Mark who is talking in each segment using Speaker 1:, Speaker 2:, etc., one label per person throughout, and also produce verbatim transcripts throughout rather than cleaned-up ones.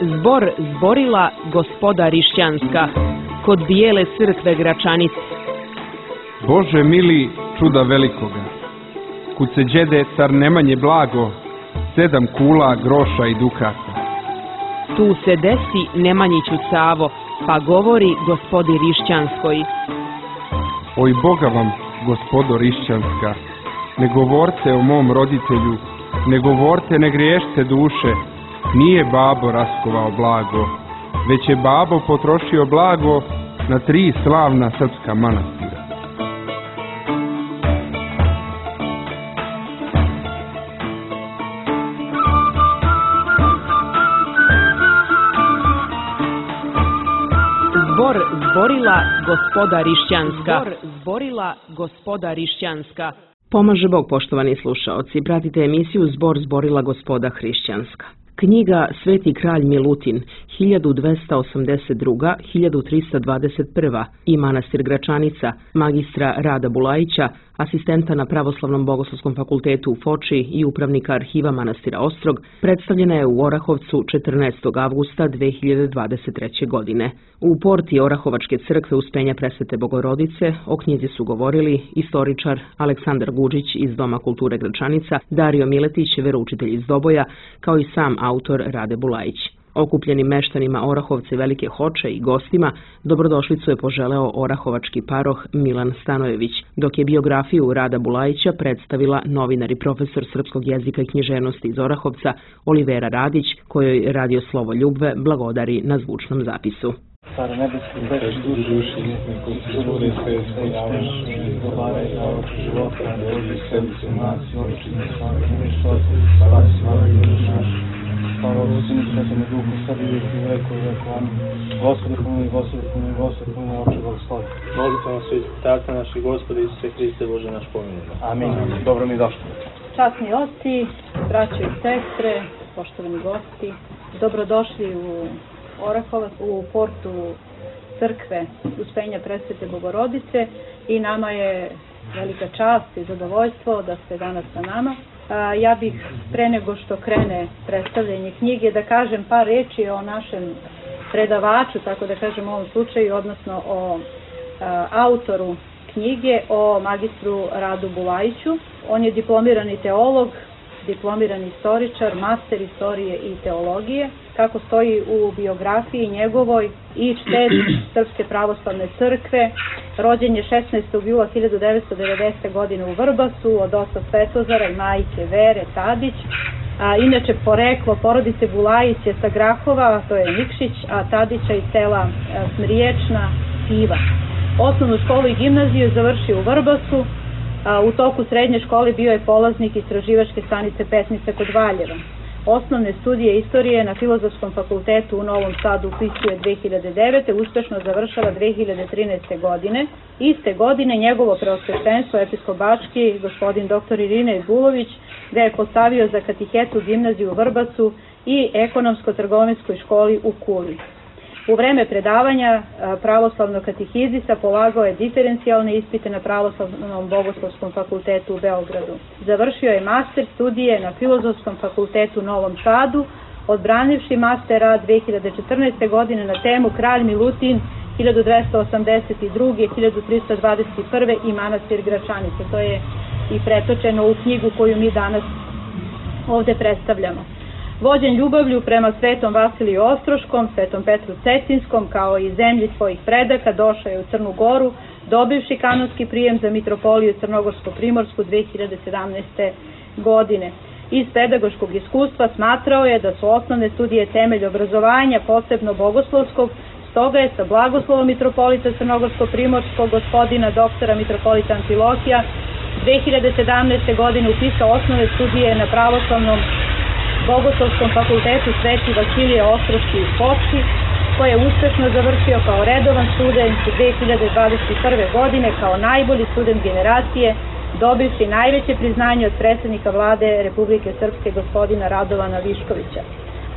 Speaker 1: Zbor zborila gospoda Rišćanska kod bijele crkve Gračanice.
Speaker 2: Bože mili, čuda velikoga, kud se đede car Nemanje blago, sedam kula, groša i dukata.
Speaker 1: Tu se desi Nemanjiću Savo, pa govori gospodi Rišćanskoj.
Speaker 2: Oj Boga vam, gospodo Rišćanska, ne govorte o mom roditelju, ne govorte, ne griješte duše, nije babo raskovao blago, već je babo potrošio blago na tri slavna srpska manastira.
Speaker 1: Zbor zborila gospoda Rišćanska. Zbor zborila gospoda Rišćanska. Pomaže Bog, poštovani slušaoci. Pratite emisiju Zbor zborila gospoda Hrišćanska. Knjiga Sveti kralj Milutin, hiljadu dvesta osamdeset druga do hiljadu trista dvadeset prva i manastir Gračanica, magistra Rada Bulajića, asistenta na Pravoslavnom bogoslovskom fakultetu u Foči i upravnika arhiva manastira Ostrog, predstavljena je u Orahovcu četrnaestog avgusta dve hiljade dvadeset treće. godine. U porti Orahovačke crkve Uspenja Presvete Bogorodice o knjizi su govorili istoričar Aleksandar Guđić iz Doma kulture Gračanica, Dario Miletić, veroučitelj iz Doboja, kao i sam autor Rade Bulajić. Okupljenim meštanima Orahovca i Velike Hoče i gostima dobrodošlicu je poželeo orahovački paroh Milan Stanojević, dok je biografiju Rada Bulajića predstavila novinar i profesor srpskog jezika i književnosti iz Orahovca Olivera Radić, kojoj Radio Slovo Ljubve blagodari na zvučnom zapisu.
Speaker 3: Stare nebeski, večni duši, kulture sve ispunjavaš, dobaraj na oči života, dođi sedmice nas, očini svaki nešto, spasi svaki naš. Hvala Sinu, Svetome Duhu, sad i uvijek i u veku i veku. Amin. Gospodi pomili, Gospodi pomili, Gospodi pomili, oče blagoslovi.
Speaker 4: Molite vam svi, tako naši Gospodi Isuse Hriste Bože naš pomilujemo.
Speaker 3: Amin. Dobro mi došli.
Speaker 5: Časni oci, braćo i sestre, poštovani gosti, dobrodošli u Orahovac, u portu crkve Uspenja Presvete Bogorodice i nama je velika čast i zadovoljstvo da ste danas sa nama. Ja bih pre nego što krene predstavljanje knjige da kažem par reči o našem predavaču, tako da kažem u ovom slučaju, odnosno o a, autoru knjige, o magistru Radu Bulajiću. On je diplomirani teolog, diplomirani istoričar, master istorije i teologije. Kako stoji u biografiji njegovoj, i čtet Srpske pravoslavne crkve, rođen je šesnaestog jula hiljadu devetsto devedesete. godine u Vrbasu od oca Svetozara i majke Vere Tadić. A, inače, poreklo porodice Bulajić je sa Grahova, to je Nikšić, a Tadića iz sela Smriječna, Piva. Osnovnu školu i gimnaziju je završio u Vrbasu. A, u toku srednje škole bio je polaznik istraživačke stanice Petnica kod Valjeva. Osnovne studije istorije na Filozofskom fakultetu u Novom Sadu upisuje dve hiljade devete. uspešno završava dve hiljade trinaeste. godine. Iste godine njegovo preosveštenstvo episkopački, gospodin doktor Irine Bulović, ga je postavio za katehetu gimnaziju u Vrbasu i ekonomsko-trgovinskoj školi u Kuli. U vreme predavanja pravoslavnog katehizisa polagao je diferencijalne ispite na Pravoslavnom bogoslovskom fakultetu u Beogradu. Završio je master studije na Filozofskom fakultetu u Novom Sadu, odbranivši master rad dve hiljade četrnaeste. godine na temu Kralj Milutin hiljadu dvesta osamdeset druge. do hiljadu trista dvadeset prve. i manastir Gračanice. To je i pretočeno u knjigu koju mi danas ovde predstavljamo. Vođen ljubavlju prema svetom Vasiliju Ostroškom, svetom Petru Cetinskom, kao i zemlji svojih predaka, došao je u Crnu Goru, dobivši kanonski prijem za mitropoliju Crnogorsko-Primorsku dve hiljade sedamnaeste. godine. Iz pedagoškog iskustva smatrao je da su osnovne studije temelj obrazovanja, posebno bogoslovskog, stoga je sa blagoslovom mitropolita Crnogorsko-Primorskog, gospodina doktora mitropolita Amfilohija, dve hiljade sedamnaeste. godine upisao osnovne studije na Pravoslavnom Bogoslovskom fakultetu Sveti Vasilije Ostroški u Foči, koje je uspešno završio kao redovan student dve hiljade dvadeset prve. godine kao najbolji student generacije, dobivši najveće priznanje od predsjednika vlade Republike Srpske gospodina Radovana Viškovića.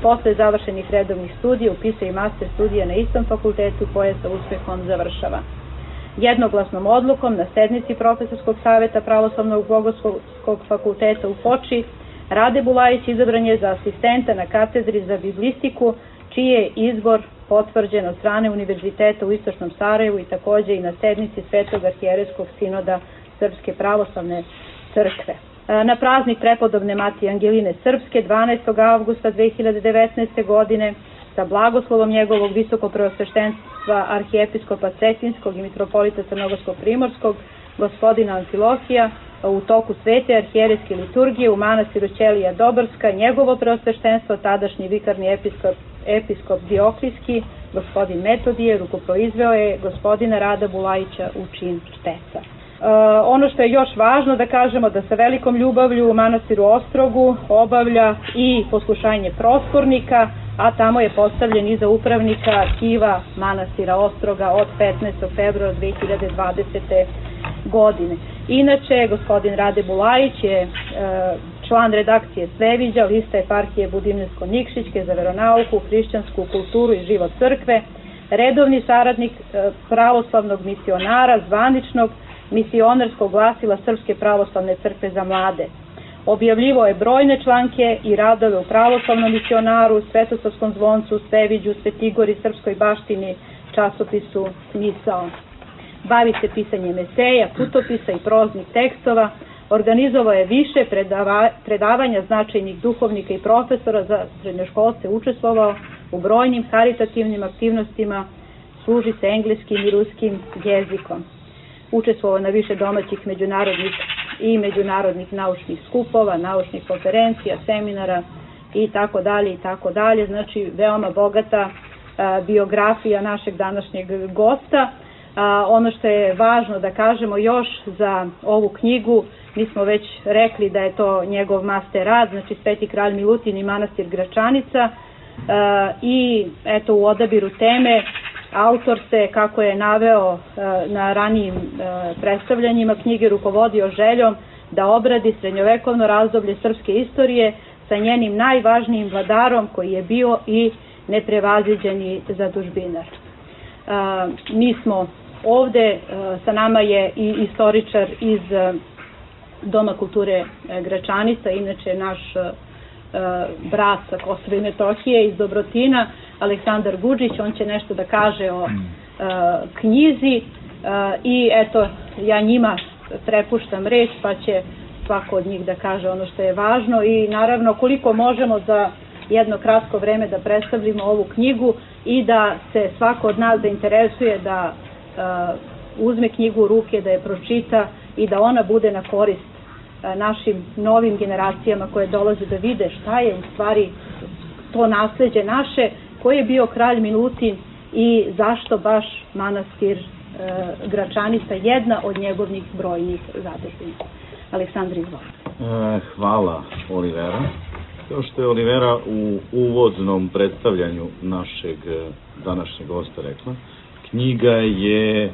Speaker 5: Posle završenih redovnih studija upisao i master studija na istom fakultetu koje sa uspehom završava. Jednoglasnom odlukom na sednici Profesorskog saveta Pravoslavnog bogoslovskog fakulteta u Foči Rade Bulajić izabran je za asistenta na katedri za biblistiku čiji je izbor potvrđen od strane Univerziteta u Istočnom Sarajevu i također i na sednici Svetog arhijerejskog sinoda Srpske pravoslavne crkve. Na praznik prepodobne Matije Angeline Srpske dvanaestog avgusta dve hiljade devetnaeste. godine sa blagoslovom njegovog visokopreosveštenstva arhijepiskopa Cetinskog i mitropolita Crnogorskog Primorskog gospodina Amfilohija u toku svete arhijerejske liturgije u manastiru Ćelija Doborska njegovo preosveštenstvo tadašnji vikarni episkop, episkop Dioklijski gospodin Metodije rukoproizveo je gospodina Rada Bulajića u čin šteca. Uh, ono što je još važno da kažemo da sa velikom ljubavlju u manastiru Ostrogu obavlja i poslušanje prostornika, a tamo je postavljen i za upravnika arhiva manastira Ostroga od petnaestog februara dve hiljade dvadesete. godine. Inače, gospodin Rade Bulajić je uh, član redakcije Sveviđa, lista eparhije Budimljansko-Nikšićke za veronauku, hrišćansku kulturu i život crkve, redovni saradnik uh, pravoslavnog misionara, zvaničnog misionarskog glasila Srpske pravoslavne crkve za mlade. Objavljivo je brojne članke i radove u pravoslavnom misionaru, Svetosavskom zvoncu, Sveviđu, Svetigori, Srpskoj baštini, časopisu Misao. Bavi se pisanjem eseja, putopisa i proznih tekstova, organizovao je više predava, predavanja značajnih duhovnika i profesora za srednjoškolce, učestvovao u brojnim karitativnim aktivnostima, služi se engleskim i ruskim jezikom. Učestvovao na više domaćih međunarodnih i međunarodnih naučnih skupova, naučnih konferencija, seminara i tako dalje i tako dalje. Znači, veoma bogata a, biografija našeg današnjeg gosta. A, ono što je važno da kažemo još za ovu knjigu, mi smo već rekli da je to njegov master rad, znači Sveti kralj Milutin i manastir Gračanica, a, i eto u odabiru teme autor se, kako je naveo na ranijim predstavljanjima knjige, rukovodio željom da obradi srednjovekovno razdoblje srpske istorije sa njenim najvažnijim vladarom koji je bio i neprevaziđeni zadužbinar. Mi smo ovde, sa nama je i istoričar iz Doma kulture Gračanica, inače naš brat sa Kosova i Metohije iz Dobrotina, Aleksandar Guđić. On će nešto da kaže o uh, knjizi uh, i eto, ja njima prepuštam reč, pa će svako od njih da kaže ono što je važno i naravno koliko možemo za jedno kratko vreme da predstavimo ovu knjigu i da se svako od nas zainteresuje da uh, uzme knjigu u ruke, da je pročita i da ona bude na korist uh, našim novim generacijama koje dolaze da vide šta je u stvari to nasleđe naše, koji je bio kralj Milutin i zašto baš manastir e, Gračanica, jedna od njegovih brojnih zadužbina. Aleksandar, izvolite.
Speaker 6: E, hvala, Olivera. Kao što je Olivera u uvodnom predstavljanju našeg današnjeg gosta rekla, knjiga je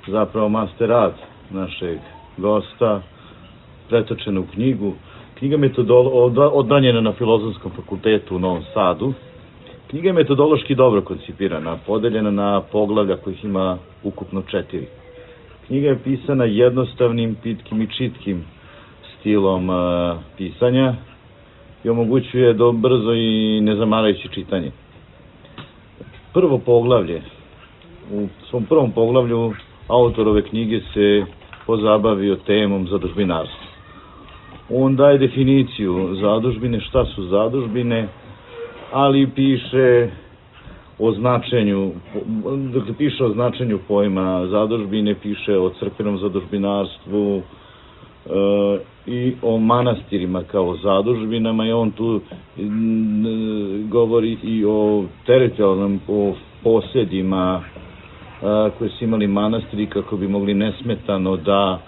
Speaker 6: zapravo master rad našeg gosta, pretočena u knjigu. Knjiga je odbranjena na Filozofskom fakultetu u Novom Sadu. Knjiga je metodološki dobro koncipirana, podeljena na poglavlja kojih ima ukupno četiri. Knjiga je pisana jednostavnim, pitkim i čitkim stilom uh, pisanja i omogućuje do brzo i nezamarajuće čitanje. Prvo poglavlje, u svom prvom poglavlju autor ove knjige se pozabavio temom zadužbinarstva. On daje definiciju zadužbine, šta su zadužbine, ali piše o značenju, dakle piše o značenju pojma zadužbine, piše o crkvenom zadužbinarstvu e, i o manastirima kao zadužbinama i on tu m, govori i o teritorijalnom, o posjedima e, koje su imali manastiri kako bi mogli nesmetano da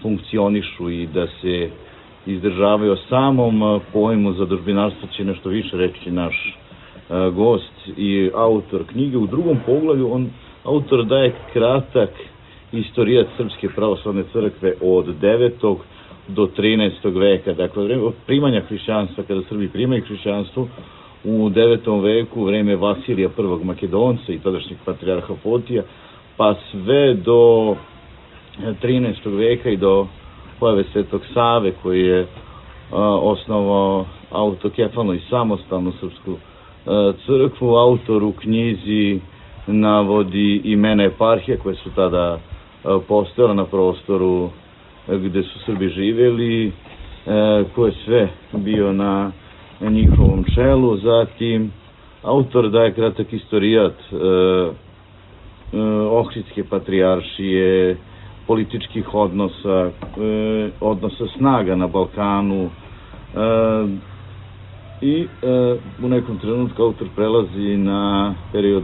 Speaker 6: funkcionišu i da se izdržavaju. O samom pojmu zadužbinarstva će nešto više reći naš uh, gost i autor knjige. U drugom poglavlju on, autor daje kratak istorijat Srpske pravoslavne crkve od devetog do trinaestog veka. Dakle, vreme od primanja hrišćanstva, kada Srbi primaju hrišćanstvo, u devetom veku, vreme Vasilija prvog Makedonca i tadašnjeg patrijarha Fotija, pa sve do trinaestog veka i do pojave Svetog Save, koji je a, osnovao autokefalnu i samostalnu srpsku crkvu. Autor u knjizi navodi imena eparhije koje su tada postojale na prostoru gde su Srbi živjeli, ko je sve bio na njihovom čelu. Zatim, autor daje kratak istorijat Ohridske patrijaršije, političkih odnosa, odnosa snaga na Balkanu i u nekom trenutku autor prelazi na period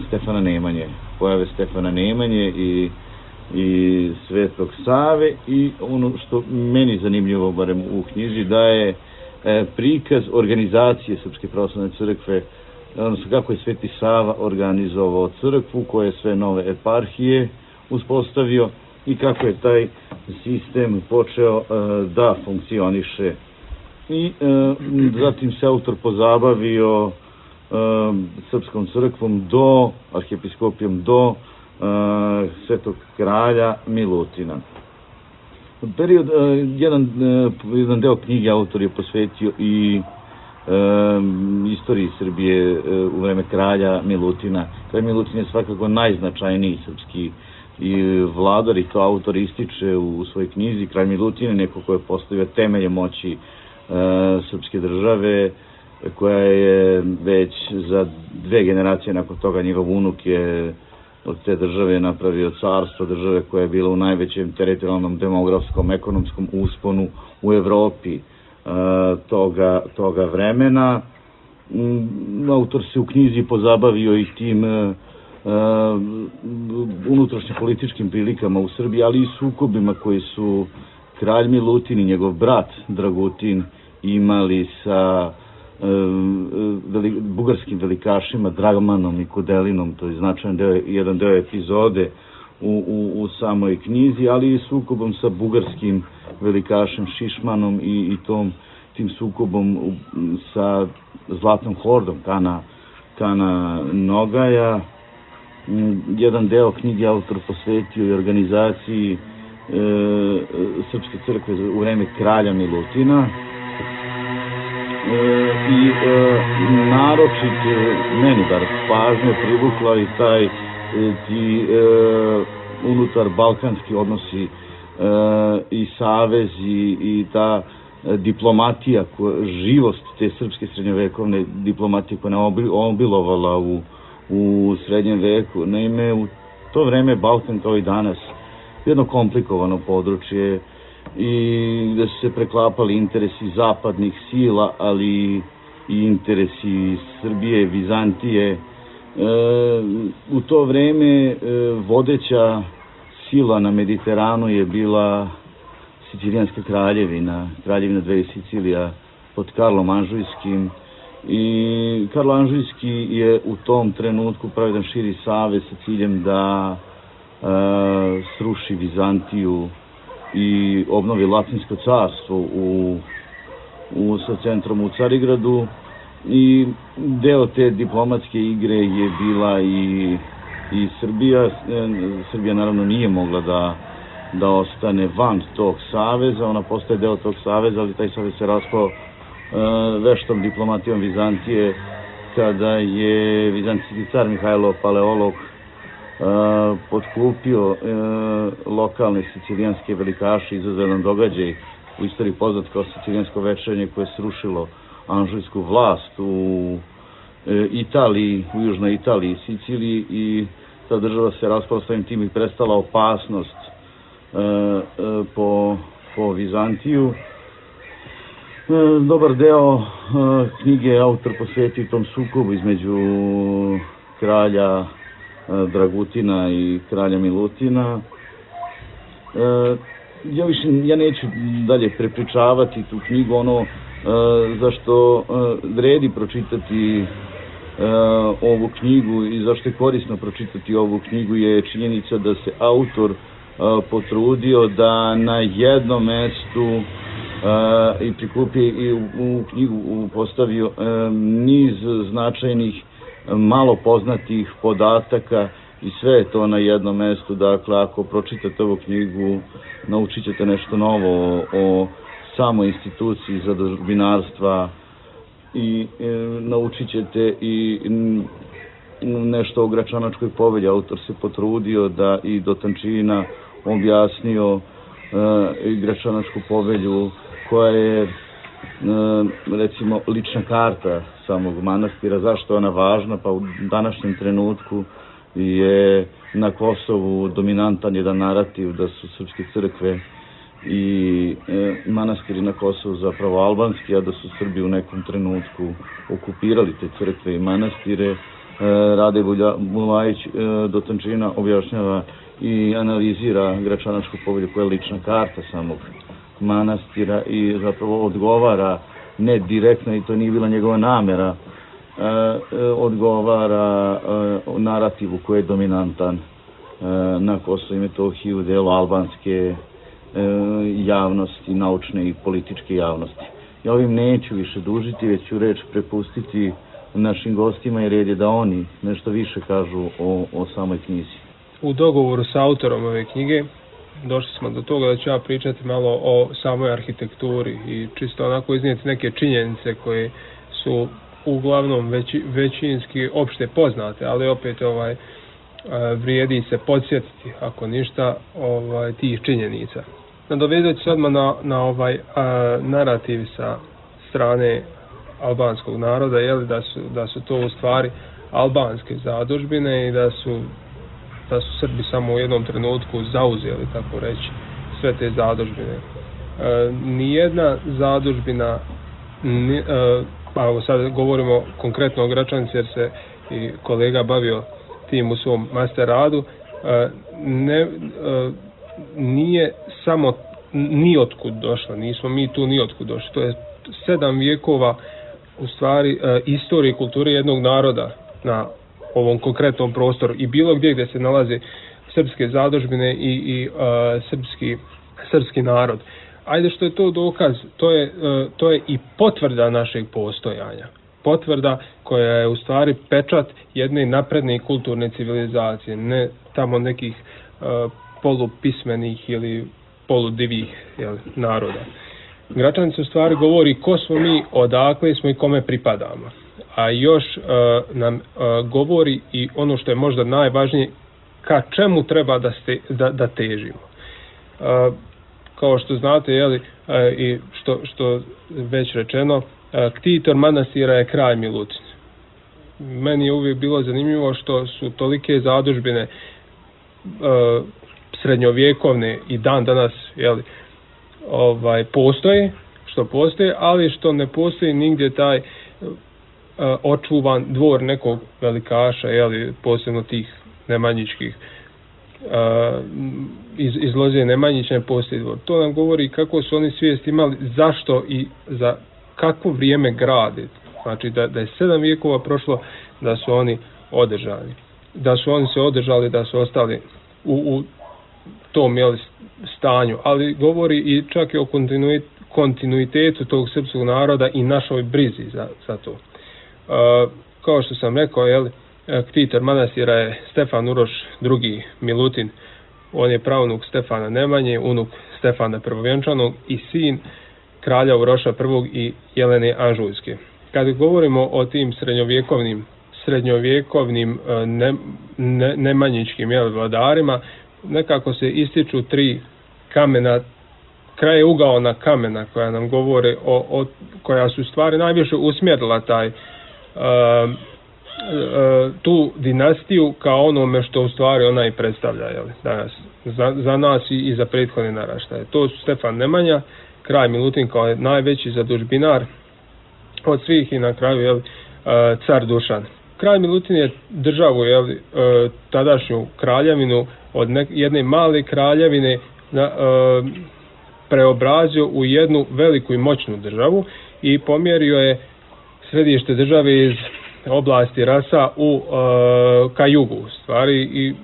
Speaker 6: Stefana Nemanje, pojave Stefana Nemanje i i Svetog Save, i ono što meni zanimljivo, barem u knjiži, daje prikaz organizacije Srpske pravoslavne crkve, odnosno kako je Sveti Sava organizovao crkvu, koje je sve nove eparhije uspostavio i kako je taj sistem počeo da funkcioniše. I zatim se autor pozabavio Srpskom crkvom do, arhijepiskopijom do Svetog kralja Milutina. Period, jedan, jedan deo knjige autor je posvetio i istoriji Srbije u vreme kralja Milutina. Kralj Milutin je svakako najznačajniji srpski i vladar, i to autor ističe u svojoj knjizi. Kralj Milutin je neko ko je postavio temelje moći srpske države, koja je već za dve generacije nakon toga, njegov unuk je od te države napravio carstvo, države koja je bila u najvećem teritorijalnom, demografskom, ekonomskom usponu u Evropi toga, toga vremena. Autor se u knjizi pozabavio i tim unutrašnje političkim prilikama u Srbiji, ali i sukobima koji su kralj Milutin i njegov brat Dragutin imali sa bugarskim velikašima Dragmanom i Kudelinom. To je značajan deo, jedan deo epizode u, u, u samoj knjizi, ali i sukobom sa bugarskim velikašem Šišmanom i, i tom, tim sukobom sa Zlatnom hordom Kana, Kana Nogaja. Jedan deo knjige autor posvetio i organizaciji e, Srpske crkve u vreme kralja Milutina. I naročit meni bar pažnje privukla i taj ti unutar balkanski odnosi i savezi i ta diplomatija, živost te srpske srednjovekovne diplomatije koja je obilovala u, u srednjem veku. Naime, u to vreme Balkan kao i danas jedno komplikovano područje i gde su se preklapali interesi zapadnih sila, ali i interesi Srbije, Vizantije. E, u to vreme e, vodeća sila na Mediteranu je bila Sicilijanska kraljevina, kraljevina dve Sicilija pod Karlom Anžujskim, i Karlo Anžujski je u tom trenutku pravio jedan širi savez sa ciljem da e, sruši Vizantiju i obnovi Latinsko carstvo u, u, sa centrom u Carigradu, i deo te diplomatske igre je bila i, i Srbija. Srbija naravno nije mogla da, da ostane van tog saveza, ona postaje deo tog saveza, ali taj savez se raspao e, veštom diplomatijom Vizantije, kada je vizantijski car Mihajlo Paleolog Uh, potkupio uh, lokalne sicilijanske velikaše, izazovan događaj u istoriji poznat kao Sicilijansko večernje, koje je srušilo anžujsku vlast u uh, Italiji, u južnoj Italiji i Siciliji, i ta država se raspala svojim tim i prestala opasnost uh, uh, po, po Vizantiju. Uh, dobar deo uh, knjige autor posvetio tom sukobu između kralja Dragutina i kralja Milutina. E, ja više, ja neću dalje prepričavati tu knjigu. Ono e, zašto e, vredi pročitati e, ovu knjigu i zašto je korisno pročitati ovu knjigu je činjenica da se autor e, potrudio da na jednom mestu e, i prikupio i u, u knjigu postavio e, niz značajnih malo poznatih podataka i sve je to na jednom mestu. Dakle, ako pročitate ovu knjigu, naučit ćete nešto novo o, o samoj instituciji zadužbinarstva i e, naučit ćete i m, nešto o Gračanačkoj povelji. Autor se potrudio da i do tančina objasnio e, i Gračanačku povelju, koja je e, recimo lična karta samog manastira. Zašto je ona važna? Pa u današnjem trenutku je na Kosovu dominantan jedan narativ da su srpske crkve i e, manastiri na Kosovu zapravo albanski, a da su Srbi u nekom trenutku okupirali te crkve i manastire. E, Rade Bulajić e, do tančina objašnjava i analizira Gračanačku povelju, koja je lična karta samog manastira i zapravo odgovara, ne direktno, i to nije bila njegova namera, e, e, odgovara e, narativu koji je dominantan e, na Kosovu i Metohiji u delu albanske javnosti, naučne i političke javnosti. Ja ovim neću više dužiti, već ću reč prepustiti našim gostima i red je da oni nešto više kažu o, o samoj knjizi.
Speaker 7: U dogovoru sa autorom ove knjige došli smo do toga da ću ja pričati malo o samoj arhitekturi i čisto onako iznijeti neke činjenice koje su uglavnom veći, većinski opšte poznate, ali opet ovaj vrijedi se podsjetiti, ako ništa, ovaj tih činjenica. Nadovezat ću se odmah na, na ovaj a, narativ sa strane albanskog naroda, jeli, da su, da su to u stvari albanske zadužbine i da su, da su Srbi samo u jednom trenutku zauzeli, tako reći, sve te zadužbine. E, nijedna zadužbina, ni, e, pa sad govorimo konkretno o Gračanici jer se i kolega bavio tim u svom master radu, e, ne, e, nije samo ni otkud došla, nismo mi tu ni otkud došli. To je sedam vijekova u stvari e, istorije i kulture jednog naroda na ovom konkretnom prostoru i bilo gdje gdje se nalaze srpske zadužbine i, i e, srpski, srpski narod. Ajde, što je to dokaz, to je, e, to je i potvrda našeg postojanja. Potvrda koja je u stvari pečat jedne napredne kulturne civilizacije, ne tamo nekih e, polupismenih ili poludivih jel, naroda. Gračanica u stvari govori ko smo mi, odakle smo i kome pripadamo. A još e, nam e, govori i ono što je možda najvažnije, ka čemu treba da, ste, da, da težimo. E, kao što znate, jeli, e, i što, što već rečeno, e, ktitor manastira je kralj Milutin. Meni je uvijek bilo zanimljivo što su tolike zadužbine e, srednjovjekovne i dan danas jeli, ovaj, postoje, što postoje, ali što ne postoji nigdje taj e, očuvan dvor nekog velikaša, jeli, posebno tih nemanjičkih. E, iz, iz loze Nemanjića ne postoji dvor. To nam govori kako su oni svijest imali, zašto i za kakvo vrijeme grade. Znači da, da je sedam vijekova prošlo da su oni održani. Da su oni se održali, da su ostali u, u tom jeli, stanju. Ali govori i čak i o kontinuit, kontinuitetu tog srpskog naroda i našoj brizi za, za to. E, kao što sam rekao, jeli, ktitor manastira je Stefan Uroš drugi Milutin. On je pravnuk Stefana Nemanje, unuk Stefana Prvovjenčanog i sin kralja Uroša prvog i Jelene Anžujske. Kad govorimo o tim srednjovjekovnim srednjovjekovnim ne, ne, nemanjičkim jel, vladarima, nekako se ističu tri kamena, kraje ugaona kamena koja nam govore o, o koja su stvari najviše usmjerila taj uh, uh, tu dinastiju kao onome što u stvari ona i predstavlja jel, danas za, za nas i, i za prethodne naraštaje. To su Stefan Nemanja, kralj Milutin kao najveći zadužbinar od svih i na kraju jel, uh, car Dušan. Kralj Milutin je državu, jel, uh, tadašnju kraljevinu od nek, jedne male kraljevine na, uh, preobrazio u jednu veliku i moćnu državu i pomjerio je središte države iz oblasti Rasa u, uh, ka jugu, stvari i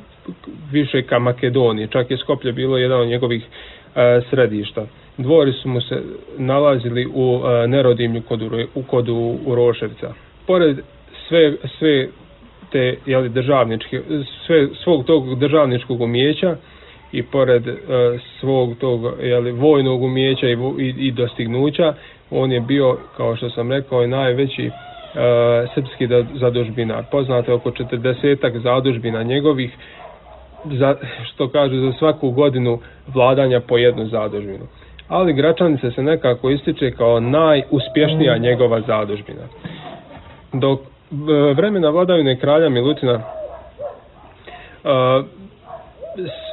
Speaker 7: više ka Makedoniji. Čak je Skoplje bilo jedan od njegovih uh, središta. Dvori su mu se nalazili u uh, Nerodimlju kod, u, kod Uroševca. Pored sve, sve te jeli, državničke, sve, svog tog državničkog umijeća i pored uh, svog tog jeli, vojnog umijeća i, i, i dostignuća, on je bio, kao što sam rekao, najveći uh, srpski zadužbinar. Poznato je oko četrdesetak zadužbina njegovih, za, što kažu za svaku godinu vladanja po jednu zadužbinu. Ali Gračanica se nekako ističe kao najuspješnija njegova zadužbina. Dok vremena vladavine kralja Milutina uh,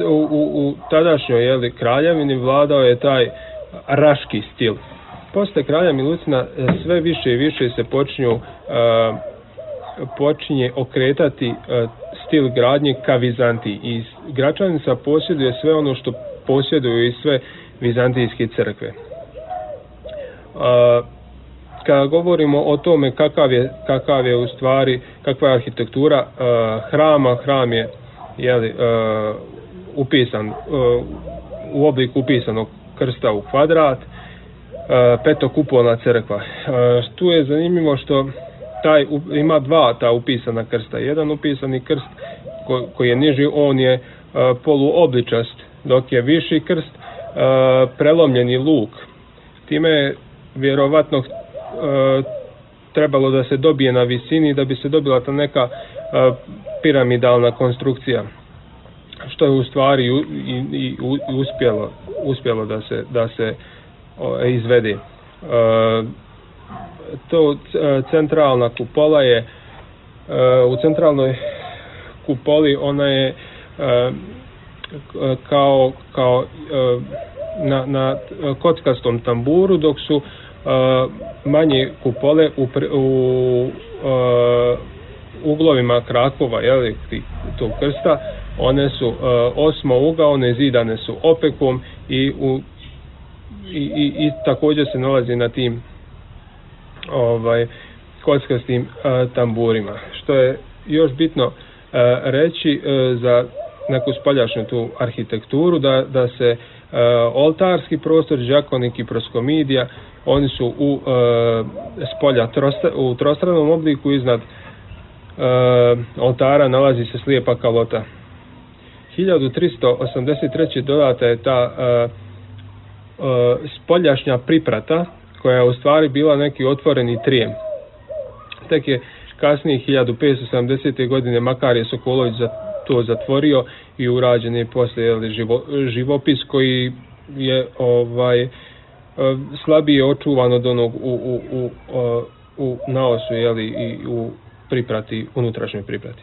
Speaker 7: u, u, u tadašnjoj jeli, kraljevini vladao je taj raški stil. Posle kralja Milutina sve više i više se počinju uh, počinje okretati uh, stil gradnje ka Vizantiji i Gračanica posjeduje sve ono što posjeduju i sve vizantijske crkve. Uh, kada govorimo o tome kakav je, kakav je u stvari, kakva je arhitektura uh, hrama, hram je jeli, uh, upisan uh, u obliku upisanog krsta u kvadrat, uh, petokupolna crkva. Uh, tu je zanimljivo što taj ima dva ta upisana krsta. Jedan upisani krst ko, koji je niži, on je uh, poluobličast, dok je viši krst uh, prelomljeni luk. Time je vjerovatno uh, trebalo da se dobije na visini da bi se dobila ta neka uh, piramidalna konstrukcija, što je u stvari i, i, i uspjelo, uspjelo da se, da se uh, izvede. Uh, to centralna kupola je uh, u centralnoj kupoli ona je uh, kao, kao uh, na, na kockastom tamburu, dok su uh, manje kupole u, u uh, uglovima krakova, jeli, tog krsta, one su uh, osmougaone, zidane su opekom i, u, i, i, i također se nalazi na tim ovaj kockastim uh, tamburima. Što je još bitno uh, reći uh, za neku spoljašnju tu arhitekturu, da, da se uh, oltarski prostor, đakonik i proskomidija, oni su u uh, spolja trosta, u trostranom obliku. Iznad uh, oltara nalazi se slijepa kalota. hiljadu tristo osamdeset treće dodata je ta uh, uh, spoljašnja priprata, koja je u stvari bila neki otvoreni trijem. Tek je kasnije hiljadu petsto sedamdesete godine Makarije Sokolović za to zatvorio i urađen je poslije jeli, živo, živopis koji je ovaj slabije očuvan od onog u, u, u, u naosu, jeli, i u priprati, unutrašnjoj priprati.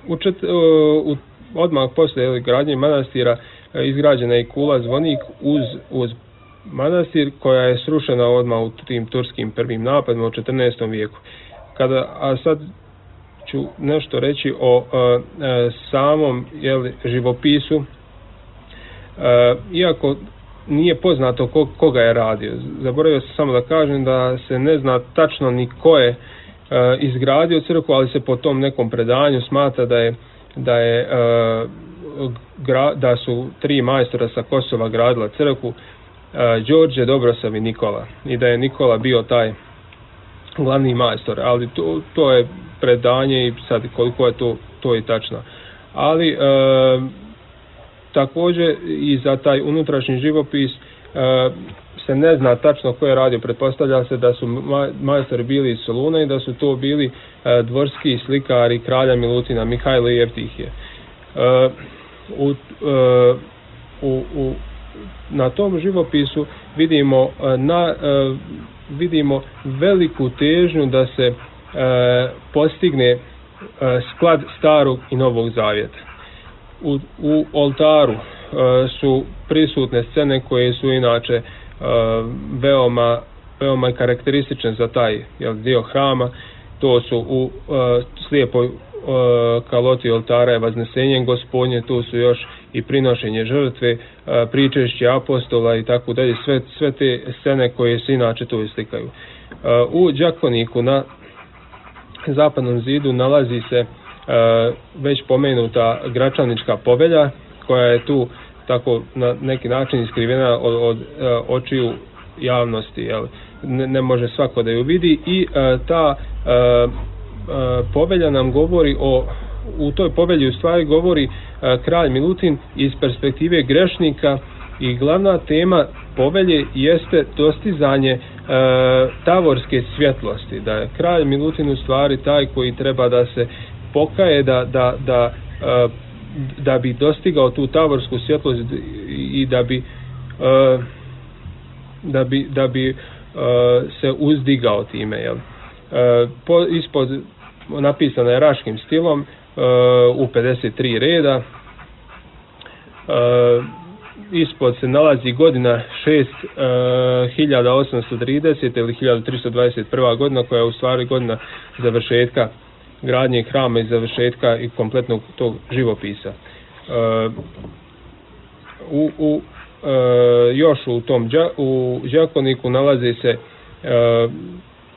Speaker 7: U čet, u, odmah poslije jeli, gradnje manastira izgrađena je kula zvonik uz, uz manastir, koja je srušena odmah u tim turskim prvim napadima u četrnaestom vijeku. Kada, a sad ću nešto reći o uh, samom jeli, živopisu, uh, iako nije poznato ko, koga je radio. Zaboravio sam samo da kažem da se ne zna tačno ni ko je uh, izgradio crkvu, ali se po tom nekom predanju smatra da je da je uh, gra, da su tri majstora sa Kosova gradila crkvu, uh, Đorđe, Dobrosav i Nikola, i da je Nikola bio taj glavni majstor, ali to, to je predanje i sad koliko je to, to je tačno. Ali e, također i za taj unutrašnji živopis e, se ne zna tačno ko je radio. Pretpostavlja se da su majstori bili iz Soluna i da su to bili e, dvorski slikari kralja Milutina, Mihajlo i Evtihije. E, u, e, u, u, na tom živopisu vidimo na e, vidimo veliku težnju da se e, postigne e, sklad starog i novog zavjeta. U, u oltaru e, su prisutne scene koje su inače e, veoma, veoma karakteristične za taj jel, dio hrama. To su u e, slijepoj e, kaloti oltara je Vaznesenje Gospodnje, tu su još i prinošenje žrtve, e, pričešće apostola i tako dalje, sve, sve te scene koje se inače tu islikaju. E, u đakoniku na zapadnom zidu nalazi se e, već pomenuta Gračanička povelja, koja je tu tako na neki način iskrivena od, od e, očiju javnosti, jel? Ne, ne može svako da ju vidi i e, ta e, e, povelja nam govori o, u toj povelji u stvari govori kralj Milutin iz perspektive grešnika i glavna tema povelje jeste dostizanje e, tavorske svjetlosti, da je kralj Milutin u stvari taj koji treba da se pokaje, da, da, da, e, da bi dostigao tu tavorsku svjetlost i da bi e, da bi, da bi e, se uzdigao time. Jel? E, po, ispod napisano je raškim stilom e, u pedeset tri reda. E, ispod se nalazi godina šest hiljada osamsto trideset ili hiljadu tristo dvadeset prva godina, koja je u stvari godina završetka gradnje hrama i završetka i kompletnog tog živopisa. E, u, u, e, još u tom đa, u đakoniku nalaze se e,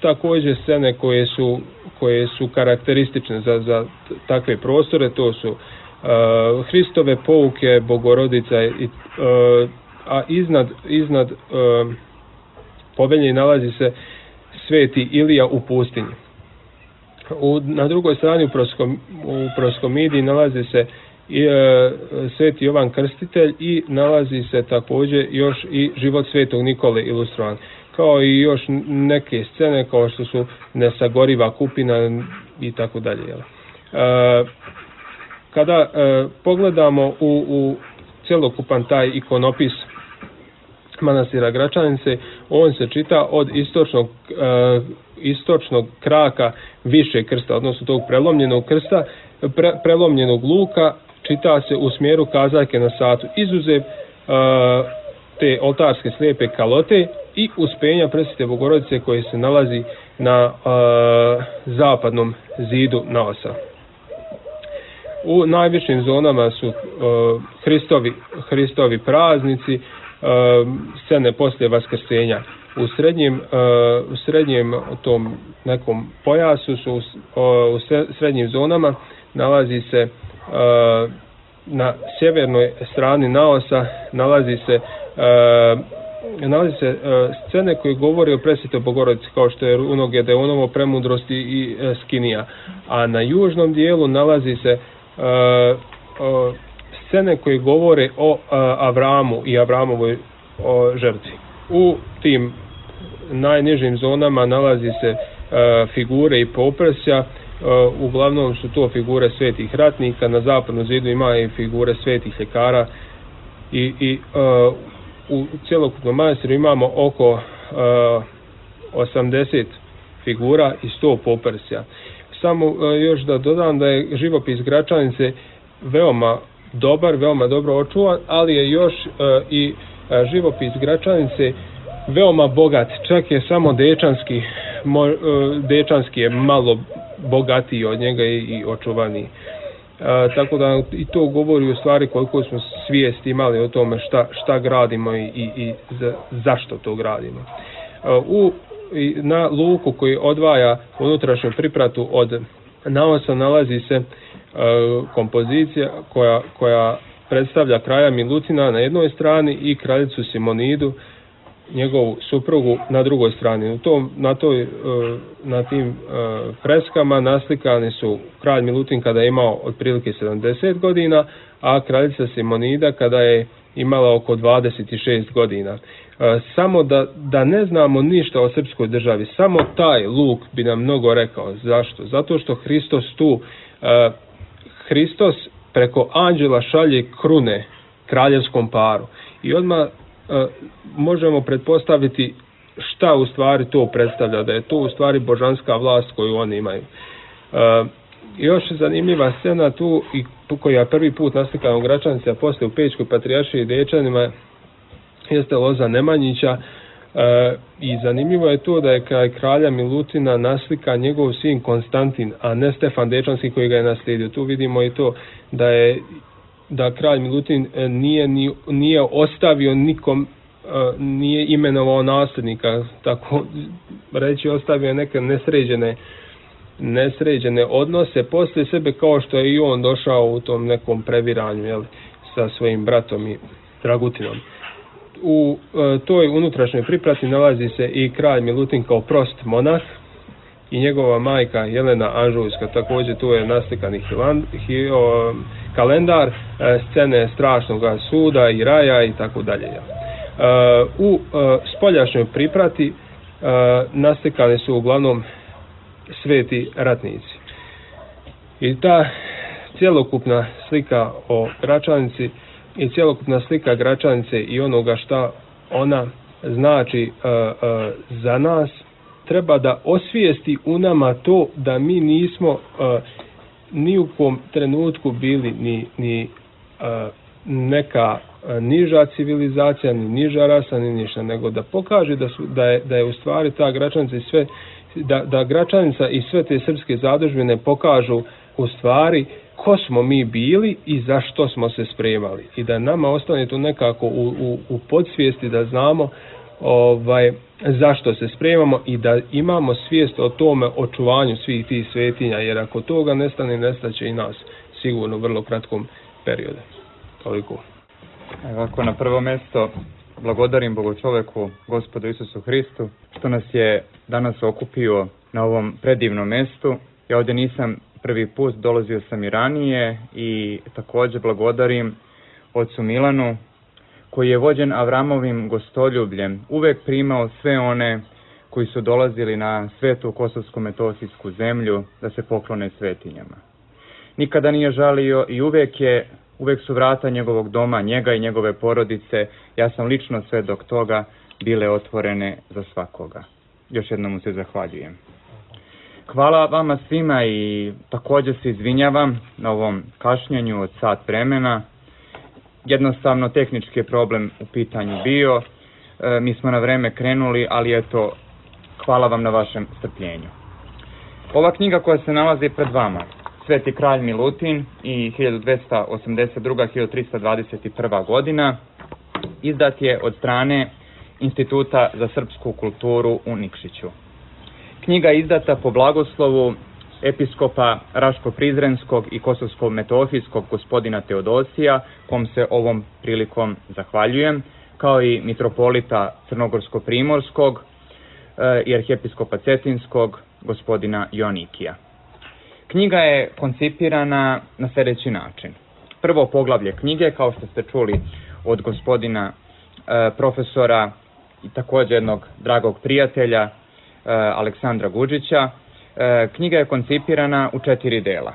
Speaker 7: također scene koje su, koje su karakteristične za, za takve prostore. To su uh, Hristove pouke, Bogorodica, i, uh, a iznad, iznad uh, povelje nalazi se sveti Ilija u pustinji. U, na drugoj strani u, Proskom, u Proskomidiji nalazi se i, uh, sveti Jovan Krstitelj i nalazi se također još i život svetog Nikole ilustrovan, kao i još neke scene kao što su Nesagoriva kupina i tako dalje. Kada e, pogledamo u, u cjelokupan taj ikonopis manastira Gračanice, on se čita od istočnog, e, istočnog kraka više krsta, odnosno tog prelomljenog krsta, pre, prelomljenog luka, čita se u smjeru kazaljke na satu, izuzev e, te oltarske slijepe kalote i uspenja Presvete Bogorodice koje se nalazi na uh, zapadnom zidu naosa. U najvišim zonama su uh, Hristovi, Hristovi praznici, uh, scene poslije vaskrsenja. U srednjem, uh, u srednjem tom nekom pojasu su uh, u srednjim zonama nalazi se uh, na sjevernoj strani naosa nalazi se uh, nalazi se uh, scene koje govore o Presvetoj Bogorodici, kao što je Runo Gedeonovo, Premudrosti i uh, Skinija, a na južnom dijelu nalazi se uh, uh, scene koje govore o uh, Avramu i Avramovoj o žrtvi. U tim najnižim zonama nalazi se uh, figure i poprsja. Uh, uglavnom su to figure svetih ratnika. Na zapadnom zidu ima i figure svetih ljekara i, i uh, u cjelokupnom manastiru imamo oko uh, osamdeset figura i sto poprsja. Samo uh, još da dodam da je živopis Gračanice veoma dobar, veoma dobro očuvan, ali je još uh, i uh, živopis Gračanice veoma bogat. Čak je samo Dečanski, mo, uh, Dečanski je malo bogatiji od njega i, i očuvaniji. A, tako da i to govori u stvari koliko smo svijesti imali o tome šta, šta gradimo i, i, i za, zašto to gradimo. A, u, i na luku koji odvaja unutrašnju pripratu od naosa nalazi se a, kompozicija koja, koja predstavlja kralja Milutina na jednoj strani i kraljicu Simonidu, njegovu suprugu, na drugoj strani. U tom, na, toj, na tim freskama naslikani su kralj Milutin kada je imao otprilike sedamdeset godina, a kraljica Simonida kada je imala oko dvadeset šest godina. Samo da, da ne znamo ništa o srpskoj državi, samo taj luk bi nam mnogo rekao. Zašto? Zato što Hristos tu, Hristos preko anđela šalje krune kraljevskom paru. I odmah Uh, možemo pretpostaviti šta u stvari to predstavlja, da je to u stvari božanska vlast koju oni imaju. Uh, još zanimljiva scena tu i koja je prvi put naslikana u Gračanici, a poslije u Pećkoj patrijaršiji i Dečanima, jeste loza Nemanjića. Uh, i zanimljivo je to da je kraj kralja Milutina naslika njegov sin Konstantin, a ne Stefan Dečanski koji ga je naslijedio. Tu vidimo i to da je da kralj Milutin nije, nije ostavio nikom, nije imenovao nasljednika, tako reći, ostavio neke nesređene, nesređene odnose poslije sebe, kao što je i on došao u tom nekom previranju, jel, sa svojim bratom i Dragutinom. U toj unutrašnjoj priprati nalazi se i kralj Milutin kao prost monah i njegova majka Jelena Anžujska. Također tu je naslikani hiland, hi, o, kalendar, e, scene strašnog suda i raja i tako dalje. E, u e, spoljašnjoj priprati e, naslikane su uglavnom sveti ratnici. I ta cjelokupna slika o Gračanici i cjelokupna slika Gračanice i onoga šta ona znači uh, uh, za nas, treba da osvijesti u nama to da mi nismo uh, ni u kom trenutku bili ni, ni uh, neka uh, niža civilizacija, ni niža rasa, ni ništa, nego da pokaže da, su, da, je, da je u stvari ta Gračanica i sve, da, da Gračanica i sve te srpske zadužbine pokažu u stvari ko smo mi bili i zašto smo se spremali. I da nama ostane to nekako u, u, u podsvijesti da znamo ovaj, zašto se spremamo i da imamo svijest o tome očuvanju svih tih svetinja, jer ako toga nestane, nestaće i nas sigurno u vrlo kratkom periodu. Toliko.
Speaker 8: Ovako, na prvo mjesto blagodarim Bogočoveku, Gospodu Isusu Hristu, što nas je danas okupio na ovom predivnom mjestu. Ja ovdje nisam prvi put, dolazio sam i ranije i također blagodarim ocu Milanu, koji je vođen Avramovim gostoljubljem, uvek primao sve one koji su dolazili na svetu kosovsko-metohijsku zemlju da se poklone svetinjama. Nikada nije žalio i uvek, je, uvek su vrata njegovog doma, njega i njegove porodice, ja sam lično svedok toga, bile otvorene za svakoga. Još jednom mu se zahvaljujem. Hvala vama svima i također se izvinjavam na ovom kašnjenju od sat vremena. Jednostavno tehnički je problem u pitanju bio. E, mi smo na vreme krenuli, ali eto, hvala vam na vašem strpljenju. Ova knjiga koja se nalazi pred vama, Sveti kralj Milutin i hiljadu dvesta osamdeset druga do hiljadu trista dvadeset prva godina, izdat je od strane Instituta za srpsku kulturu u Nikšiću. Knjiga je izdata po blagoslovu episkopa Raško-Prizrenskog i Kosovsko-Metohijskog gospodina Teodosija, kom se ovom prilikom zahvaljujem, kao i mitropolita Crnogorsko-Primorskog e, i arhijepiskopa Cetinskog gospodina Joanikija. Knjiga je koncipirana na sljedeći način. Prvo poglavlje knjige, kao što ste čuli od gospodina e, profesora i također jednog dragog prijatelja, e, Aleksandra Guđića, e, knjiga je koncipirana u četiri dela.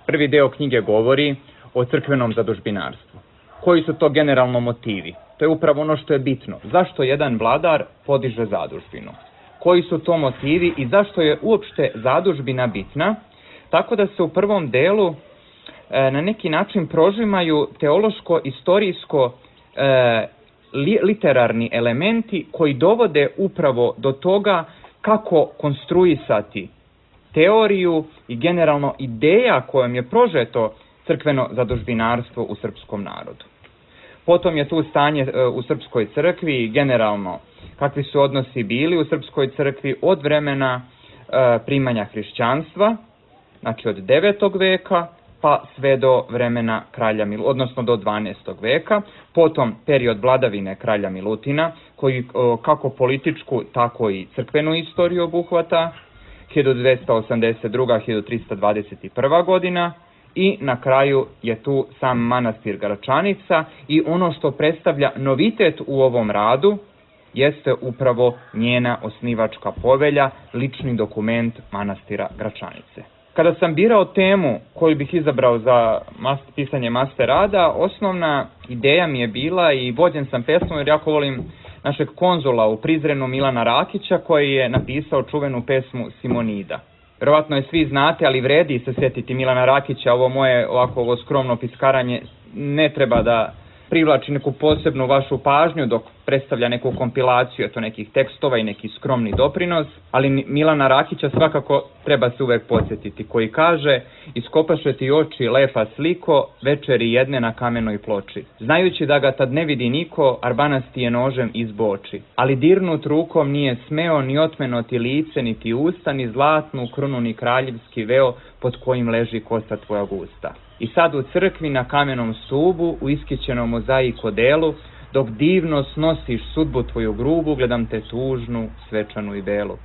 Speaker 8: Prvi deo knjige govori o crkvenom zadužbinarstvu. Koji su to generalno motivi? To je upravo ono što je bitno. Zašto jedan vladar podiže zadužbinu? Koji su to motivi i zašto je uopšte zadužbina bitna? Tako da se u prvom delu e, na neki način prožimaju teološko-istorijsko e, li, literarni elementi koji dovode upravo do toga kako konstruisati teoriju i generalno ideja kojom je prožeto crkveno zadužbinarstvo u srpskom narodu. Potom je tu stanje e, u srpskoj crkvi i generalno kakvi su odnosi bili u srpskoj crkvi od vremena e, primanja hrišćanstva, znači od devetog veka pa sve do vremena kralja Mil, odnosno do dvanaestog veka, potom period vladavine kralja Milutina, koji o, kako političku, tako i crkvenu istoriju obuhvata, hiljadu dvesta osamdeset druga do hiljadu trista dvadeset prva godina, i na kraju je tu sam manastir Gračanica i ono što predstavlja novitet u ovom radu jeste upravo njena osnivačka povelja, lični dokument manastira Gračanice. Kada sam birao temu koju bih izabrao za mas, pisanje master rada, osnovna ideja mi je bila i vođen sam pesmom jer jako volim našeg konzula u Prizrenu Milana Rakića koji je napisao čuvenu pesmu Simonida. Vjerovatno je svi znate, ali vredi se sjetiti Milana Rakića, ovo moje ovako ovo skromno piskaranje ne treba da privlači neku posebnu vašu pažnju dok predstavlja neku kompilaciju eto nekih tekstova i neki skromni doprinos, ali Milana Rakića svakako treba se uvek podsjetiti, koji kaže: iskopaše ti oči lepa sliko, večeri jedne na kamenoj ploči. Znajući da ga tad ne vidi niko, Arbanas ti je nožem izboči. Ali dirnut rukom nije smeo ni otmeno ti lice, ni ti usta, ni zlatnu krunu, ni kraljevski veo pod kojim leži kosa tvoja gusta. I sad u crkvi na kamenom stubu, u iskićenom mozaiko delu, dok divno snosiš sudbu tvoju grubu, gledam te tužnu, svečanu i belu.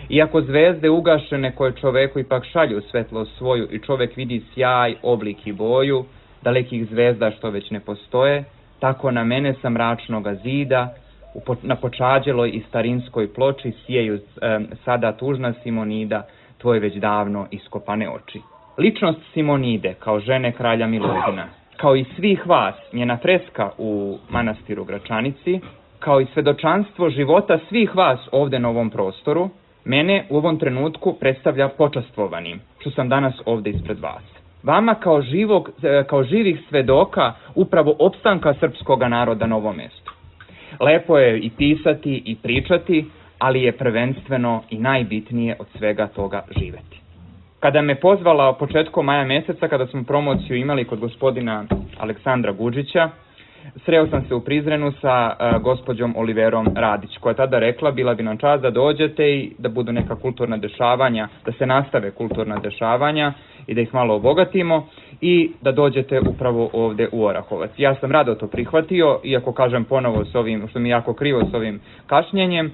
Speaker 8: Iako zvezde ugašene koje čoveku ipak šalju svetlost svoju i čovek vidi sjaj, oblik i boju, dalekih zvezda što već ne postoje, tako na mene sa mračnoga zida, na počađeloj i starinskoj ploči sijeju e, sada tužna Simonida, tvoje već davno iskopane oči. Ličnost Simonide kao žene kralja Milutina, kao i svih vas, njena freska u manastiru Gračanici, kao i svedočanstvo života svih vas ovde na ovom prostoru, mene u ovom trenutku predstavlja počastvovanim, što sam danas ovde ispred vas. Vama kao, živog, kao živih svedoka upravo opstanka srpskog naroda na ovom mestu. Lepo je i pisati i pričati, ali je prvenstveno i najbitnije od svega toga živeti. Kada me pozvala početkom maja meseca, kada smo promociju imali kod gospodina Aleksandra Guđića, sreo sam se u Prizrenu sa uh, gospođom Oliverom Radić, koja je tada rekla, bila bi nam čast da dođete i da budu neka kulturna dešavanja, da se nastave kulturna dešavanja i da ih malo obogatimo i da dođete upravo ovde u Orahovac. Ja sam rado to prihvatio, iako kažem ponovo s ovim, što mi je jako krivo s ovim kašnjenjem, uh,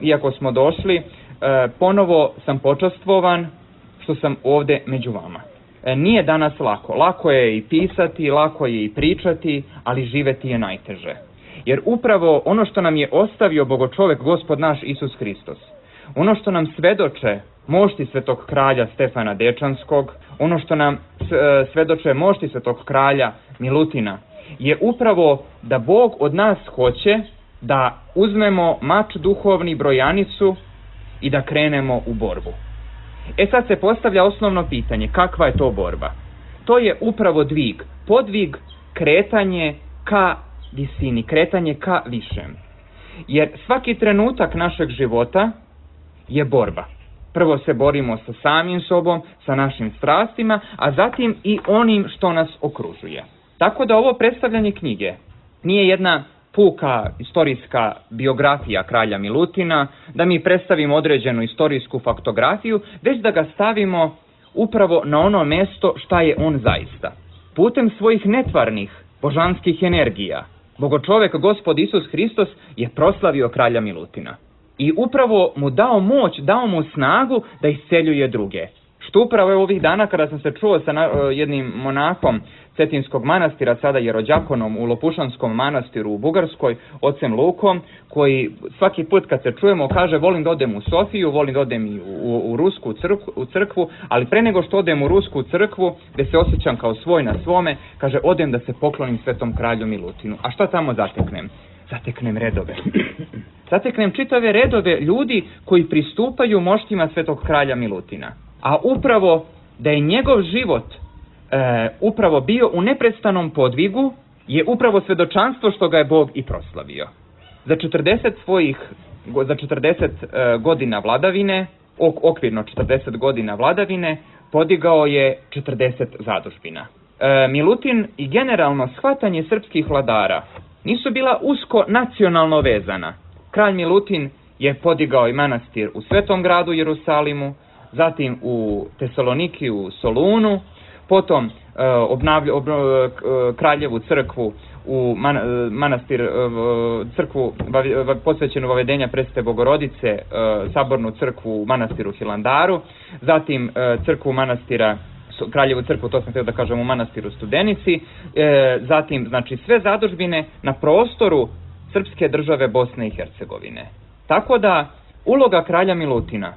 Speaker 8: iako smo došli, uh, ponovo sam počastvovan što sam ovde među vama. Nije danas lako. Lako je i pisati, lako je i pričati, ali živeti je najteže. Jer upravo ono što nam je ostavio Bogočovek, Gospod naš Isus Hristos, ono što nam svedoče mošti svetog kralja Stefana Dečanskog, ono što nam svedoče mošti svetog kralja Milutina, je upravo da Bog od nas hoće da uzmemo mač duhovni, brojanicu i da krenemo u borbu. E sad se postavlja osnovno pitanje, kakva je to borba? To je upravo dvig, podvig, kretanje ka visini, kretanje ka višem. Jer svaki trenutak našeg života je borba. Prvo se borimo sa samim sobom, sa našim strastima, a zatim i onim što nas okružuje. Tako da ovo predstavljanje knjige nije jedna puka istorijska biografija kralja Milutina, da mi predstavimo određenu istorijsku faktografiju, već da ga stavimo upravo na ono mesto šta je on zaista. Putem svojih netvarnih, božanskih energija, Bogočovek Gospod Isus Hristos je proslavio kralja Milutina. I upravo mu dao moć, dao mu snagu da isceljuje druge. Što upravo je ovih dana kada sam se čuo sa jednim monahom Cetinskog manastira, sada je rođakonom u Lopušanskom manastiru u Bugarskoj, ocem Lukom, koji svaki put kad se čujemo kaže volim da odem u Sofiju, volim da odem i u, u Rusku crkvu, u crkvu, ali pre nego što odem u Rusku crkvu, gde se osjećam kao svoj na svome, kaže odem da se poklonim svetom kralju Milutinu. A šta tamo zateknem? Zateknem redove. Zateknem čitave redove ljudi koji pristupaju moštima svetog kralja Milutina. A upravo da je njegov život e, upravo bio u neprestanom podvigu je upravo svedočanstvo što ga je Bog i proslavio. Za četrdeset svojih, za četrdeset e, godina vladavine, ok, okvirno četrdeset godina vladavine, podigao je četrdeset zadužbina. E, Milutin i generalno shvatanje srpskih vladara nisu bila usko nacionalno vezana. Kralj Milutin je podigao i manastir u Svetom gradu Jerusalimu, zatim u Tesaloniki u Solunu, potom e, obnavlja, ob, e, kraljevu crkvu u man, e, manastir, e, crkvu va, posvećenu vavedenja Presvete Bogorodice, e, sabornu crkvu u manastiru Hilandaru, zatim e, crkvu manastira Kraljevu crkvu, to sam htio da kažem, u manastiru Studenici, e, zatim znači sve zadužbine na prostoru srpske države Bosne i Hercegovine. Tako da uloga kralja Milutina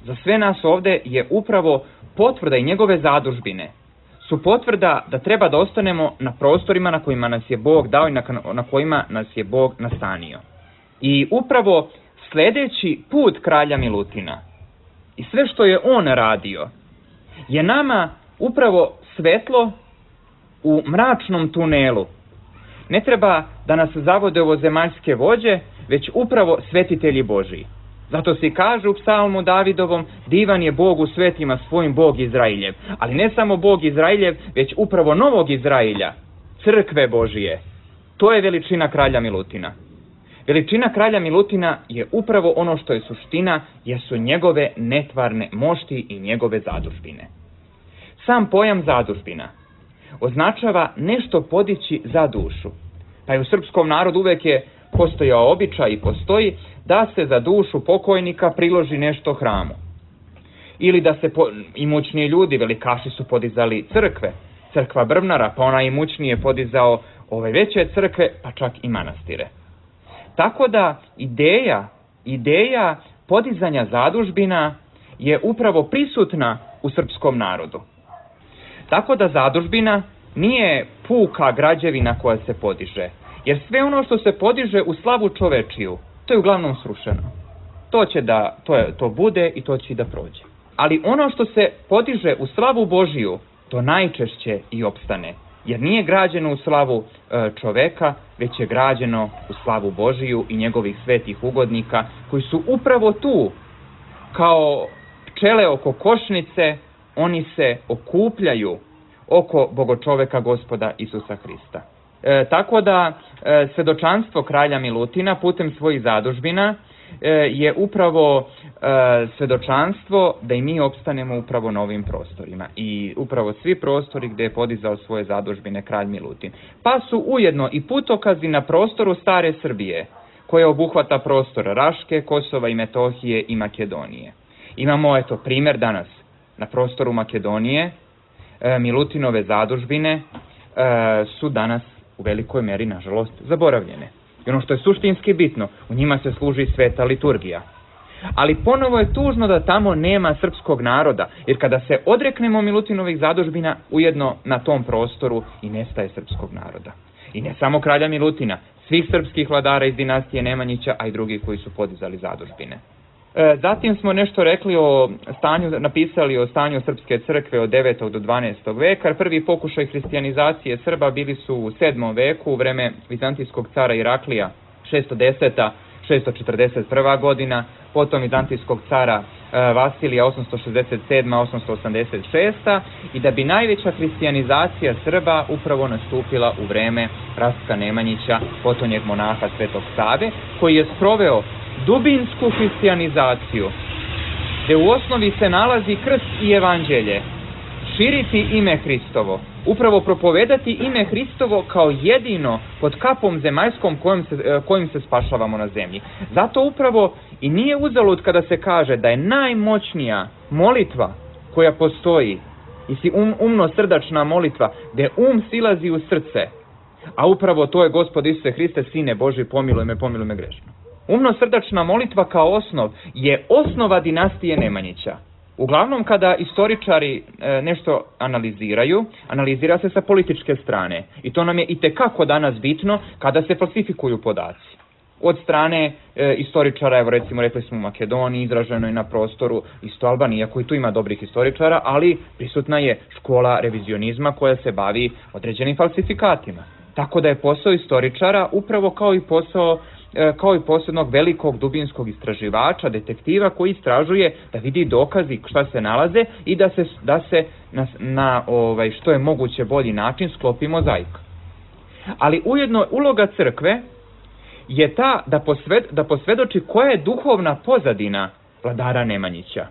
Speaker 8: za sve nas ovde je upravo potvrda i njegove zadužbine su potvrda da treba da ostanemo na prostorima na kojima nas je Bog dao i na, na kojima nas je Bog nastanio. I upravo sledeći put kralja Milutina i sve što je on radio je nama upravo svetlo u mračnom tunelu. Ne treba da nas zavode ovo zemaljske vođe, već upravo svetitelji Božiji. Zato se i kaže u psalmu Davidovom, divan je Bog u svetima svojim Bog Izrailjev. Ali ne samo Bog Izrailjev, već upravo novog Izrailja, crkve Božije. To je veličina kralja Milutina. Veličina kralja Milutina je upravo ono što je suština, jer su njegove netvarne mošti i njegove zadužbine. Sam pojam zadužbina označava nešto podići za dušu. Pa je u srpskom narodu uvek je postojao običaj i postoji da se za dušu pokojnika priloži nešto hramu. Ili da se po, imućniji ljudi, velikaši su podizali crkve, crkva Brvnara, pa ona imućniji je podizao ove veće crkve, pa čak i manastire. Tako da ideja, ideja podizanja zadužbina je upravo prisutna u srpskom narodu. Tako da zadužbina nije puka građevina koja se podiže, jer sve ono što se podiže u slavu čovečiju, to je uglavnom srušeno. To će da, to, je, to bude i to će i da prođe. Ali ono što se podiže u slavu Božiju, to najčešće i opstane, jer nije građeno u slavu e, čoveka, već je građeno u slavu Božiju i njegovih svetih ugodnika, koji su upravo tu, kao pčele oko košnice, oni se okupljaju oko bogočoveka Gospoda Isusa Hrista. E, tako da e, svedočanstvo kralja Milutina putem svojih zadužbina e, je upravo e, svedočanstvo da i mi opstanemo upravo na ovim prostorima. I upravo svi prostori gdje je podizao svoje zadužbine kralj Milutin. Pa su ujedno i putokazi na prostoru stare Srbije, koje obuhvata prostor Raške, Kosova i Metohije i Makedonije. Imamo eto primjer danas na prostoru Makedonije. E, Milutinove zadužbine e, su danas u velikoj meri, nažalost, zaboravljene. I ono što je suštinski bitno, u njima se služi sveta liturgija. Ali ponovo je tužno da tamo nema srpskog naroda, jer kada se odreknemo Milutinovih zadužbina, ujedno na tom prostoru i nestaje srpskog naroda. I ne samo kralja Milutina, svih srpskih vladara iz dinastije Nemanjića, a i drugih koji su podizali zadužbine. E, zatim smo nešto rekli o stanju, napisali o stanju Srpske crkve od devetog do dvanaestog veka. Prvi pokušaj hristijanizacije Srba bili su u sedmom veku, u vreme vizantijskog cara Iraklija, šesto deseta do šesto četrdeset prva godina, potom vizantijskog cara e, Vasilija, osamsto šezdeset sedma do osamsto osamdeset šesta i da bi najveća hristijanizacija Srba upravo nastupila u vreme Rastka Nemanjića, potonjeg monaha Svetog Save, koji je sproveo dubinsku hristijanizaciju, gdje u osnovi se nalazi krst i evanđelje, širiti ime Hristovo, upravo propovedati ime Hristovo kao jedino pod kapom zemaljskom kojim se, kojim se spašavamo na zemlji. Zato upravo i nije uzalud kada se kaže da je najmoćnija molitva koja postoji, i um, umno-srdačna molitva, gdje um silazi u srce, a upravo to je Gospod Isuse Hriste, Sine Boži, pomiluj me, pomiluj me grešno. Umno-srdačna molitva kao osnov je osnova dinastije Nemanjića. Uglavnom kada istoričari e, nešto analiziraju, analizira se sa političke strane. I to nam je itekako danas bitno kada se falsifikuju podaci. Od strane e, istoričara, evo recimo rekli smo u Makedoniji, izraženo je na prostoru isto Albanije, koji tu ima dobrih istoričara, ali prisutna je škola revizionizma koja se bavi određenim falsifikatima. Tako da je posao istoričara upravo kao i posao kao i posebnog velikog dubinskog istraživača, detektiva koji istražuje da vidi dokazi šta se nalaze i da se, da se na, na ovaj, što je moguće bolji način sklopi mozaik. Ali ujedno uloga crkve je ta da, posved, da posvedoči koja je duhovna pozadina vladara Nemanjića.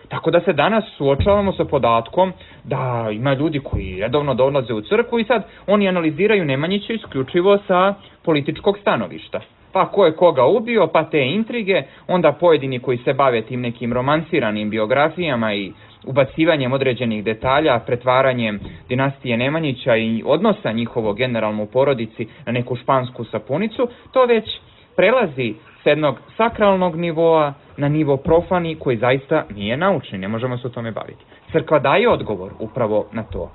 Speaker 8: Tako da se danas suočavamo sa podatkom da ima ljudi koji redovno dolaze u crkvu i sad oni analiziraju Nemanjića isključivo sa političkog stanovišta. Pa ko je koga ubio, pa te intrige, onda pojedini koji se bave tim nekim romansiranim biografijama i ubacivanjem određenih detalja, pretvaranjem dinastije Nemanjića i odnosa njihovo generalno u porodici na neku špansku sapunicu, to već prelazi s jednog sakralnog nivoa na nivo profani koji zaista nije naučni, ne možemo se o tome baviti. Crkva daje odgovor upravo na to.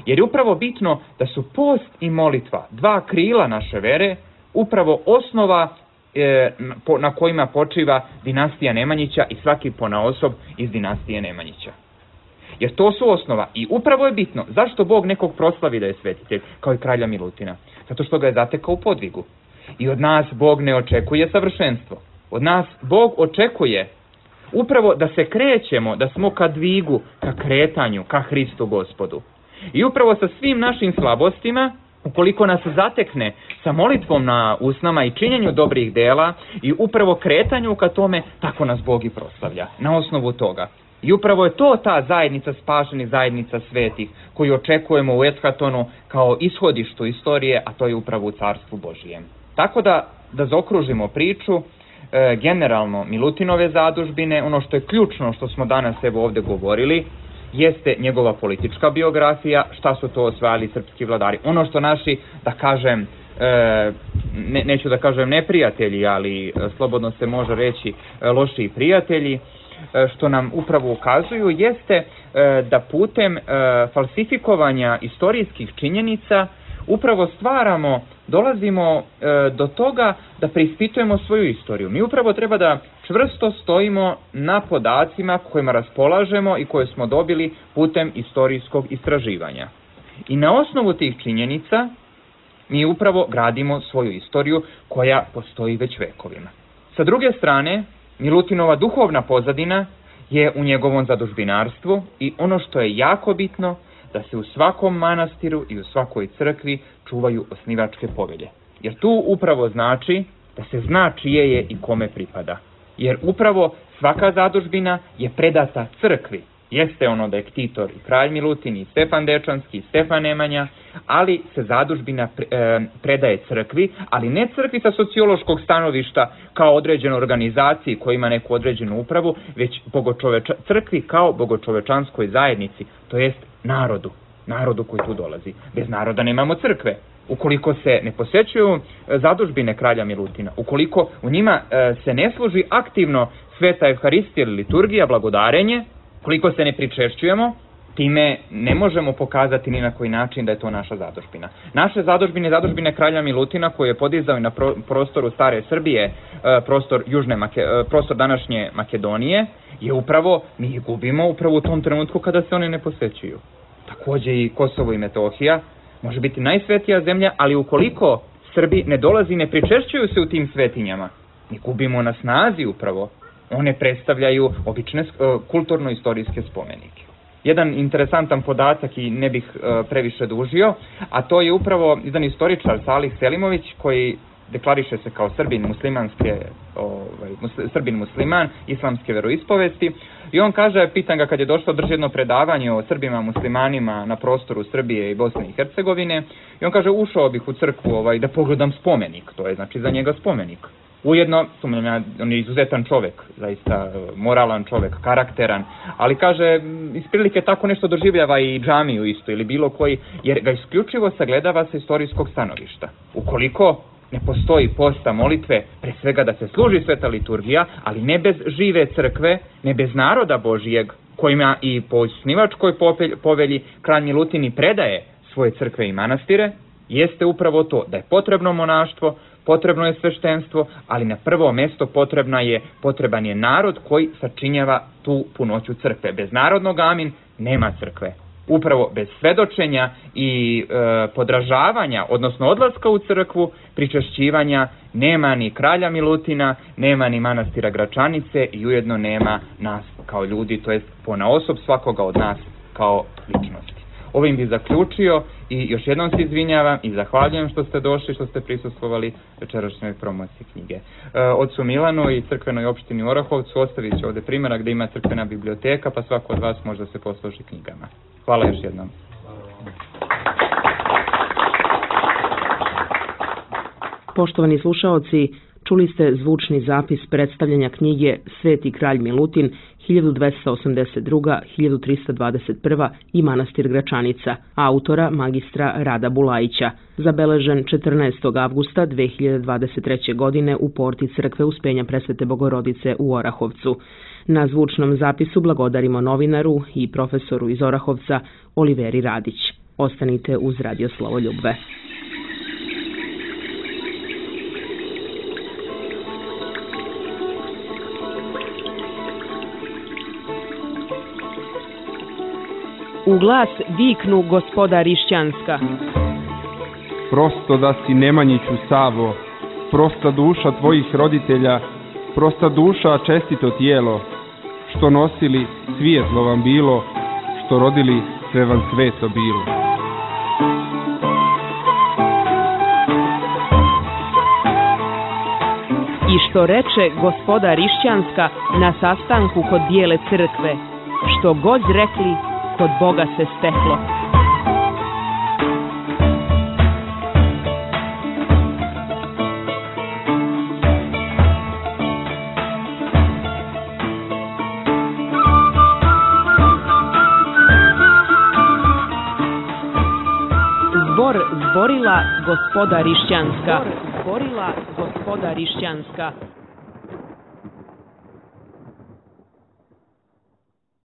Speaker 8: Jer je upravo bitno da su post i molitva, dva krila naše vere, upravo osnova e, na kojima počiva dinastija Nemanjića i svaki ponaosob iz dinastije Nemanjića. Jer to su osnova i upravo je bitno zašto Bog nekog proslavi da je svetitelj, kao i kralja Milutina. Zato što ga je zatekao u podvigu. I od nas Bog ne očekuje savršenstvo. Od nas Bog očekuje upravo da se krećemo, da smo ka dvigu, ka kretanju, ka Hristu Gospodu. I upravo sa svim našim slabostima, ukoliko nas zatekne sa molitvom na usnama i činjenju dobrih dela i upravo kretanju ka tome, tako nas Bog i proslavlja. Na osnovu toga. I upravo je to ta zajednica spašenih, zajednica svetih, koju očekujemo u Eshatonu kao ishodištu istorije, a to je upravo u Carstvu Božijem. Tako da da zaokružimo priču, e, generalno Milutinove zadužbine, ono što je ključno što smo danas evo ovde govorili, jeste njegova politička biografija, šta su to osvajali srpski vladari. Ono što naši, da kažem, e, ne, neću da kažem neprijatelji, ali slobodno se može reći lošiji prijatelji, što nam upravo ukazuju, jeste da putem falsifikovanja istorijskih činjenica upravo stvaramo, dolazimo do toga da preispitujemo svoju istoriju. Mi upravo treba da čvrsto stojimo na podacima kojima raspolažemo i koje smo dobili putem istorijskog istraživanja. I na osnovu tih činjenica mi upravo gradimo svoju istoriju koja postoji već vekovima. Sa druge strane, Milutinova duhovna pozadina je u njegovom zadužbinarstvu i ono što je jako bitno, da se u svakom manastiru i u svakoj crkvi čuvaju osnivačke povelje. Jer tu upravo znači da se zna čije je i kome pripada. Jer upravo svaka zadužbina je predata crkvi. Jeste ono da je ktitor i kralj Milutin i Stefan Dečanski i Stefan Nemanja, ali se zadužbina predaje crkvi, ali ne crkvi sa sociološkog stanovišta kao određenoj organizaciji koja ima neku određenu upravu, već bogočoveča, crkvi kao bogočovečanskoj zajednici, to jest narodu, narodu koji tu dolazi. Bez naroda nemamo crkve. Ukoliko se ne posećuju zadužbine kralja Milutina, ukoliko u njima se ne služi aktivno sveta Evharistija ili liturgija, blagodarenje, koliko se ne pričešćujemo, time ne možemo pokazati ni na koji način da je to naša zadužbina. Naše zadužbine, zadužbine kralja Milutina koje je podizao na prostoru stare Srbije, prostor, južne, prostor današnje Makedonije, je upravo, mi ih gubimo upravo u tom trenutku kada se one ne posećuju. Takođe i Kosovo i Metohija može biti najsvetija zemlja, ali ukoliko Srbi ne dolazi, ne pričešćuju se u tim svetinjama, mi gubimo na snazi upravo. One predstavljaju obične kulturno-istorijske spomenike. Jedan interesantan podatak i ne bih previše dužio, a to je upravo jedan istoričar Salih Selimović koji deklariše se kao Srbin muslimanske, ovaj, Srbin musliman, islamske veroispovesti i on kaže, pitan ga kad je došlo drži jedno predavanje o Srbima muslimanima na prostoru Srbije i Bosne i Hercegovine i on kaže ušao bih u crkvu ovaj, da pogledam spomenik, to je znači za njega spomenik. Ujedno, on je izuzetan čovek, zaista moralan čovek, karakteran, ali kaže, isprilike tako nešto doživljava i džamiju isto ili bilo koji, jer ga isključivo sagledava sa istorijskog stanovišta. Ukoliko ne postoji posta molitve, pre svega da se služi sveta liturgija, ali ne bez žive crkve, ne bez naroda Božijeg, kojima i po osnivačkoj povelji kralj Milutin i predaje svoje crkve i manastire, jeste upravo to da je potrebno monaštvo, potrebno je sveštenstvo, ali na prvo mesto potrebna je, potreban je narod koji sačinjava tu punoću crkve. Bez narodnog amin nema crkve. Upravo bez svedočenja i e, podražavanja, odnosno odlaska u crkvu, pričešćivanja, nema ni kralja Milutina, nema ni manastira Gračanice i ujedno nema nas kao ljudi, to jest ponaosob svakoga od nas kao ličnosti. Ovim bih zaključio i još jednom se izvinjavam i zahvaljujem što ste došli, što ste prisustvovali večerašnjoj promociji knjige. Otcu Milanu i crkvenoj opštini u Orahovcu ostavit ću ovde primjerak gde ima crkvena biblioteka, pa svako od vas može da se posluži knjigama. Hvala još jednom.
Speaker 1: Poštovani slušaoci, čuli ste zvučni zapis predstavljanja knjige Sveti kralj Milutin hiljadu dvesta osamdeset druga do hiljadu trista dvadeset prva i manastir Gračanica, autora magistra Rada Bulajića, zabeležen četrnaestog avgusta dve hiljade dvadeset treće. godine u porti crkve Uspenja Presvete Bogorodice u Orahovcu. Na zvučnom zapisu blagodarimo novinaru i profesoru iz Orahovca Oliveri Radić. Ostanite uz Radio Slavoljubve.
Speaker 9: U glas viknu gospoda Rišćanska.
Speaker 2: Prosto da si Nemanjiću Savo, prosta duša tvojih roditelja, prosta duša čestito tijelo, što nosili svijetlo vam bilo, što rodili sve vam sveto bilo.
Speaker 9: I što reče gospoda Rišćanska na sastanku kod Bijele crkve, što god rekli, kod Boga se steklo.
Speaker 1: Zbor zborila gospoda Rišćanska. Zbor zborila gospoda Rišćanska.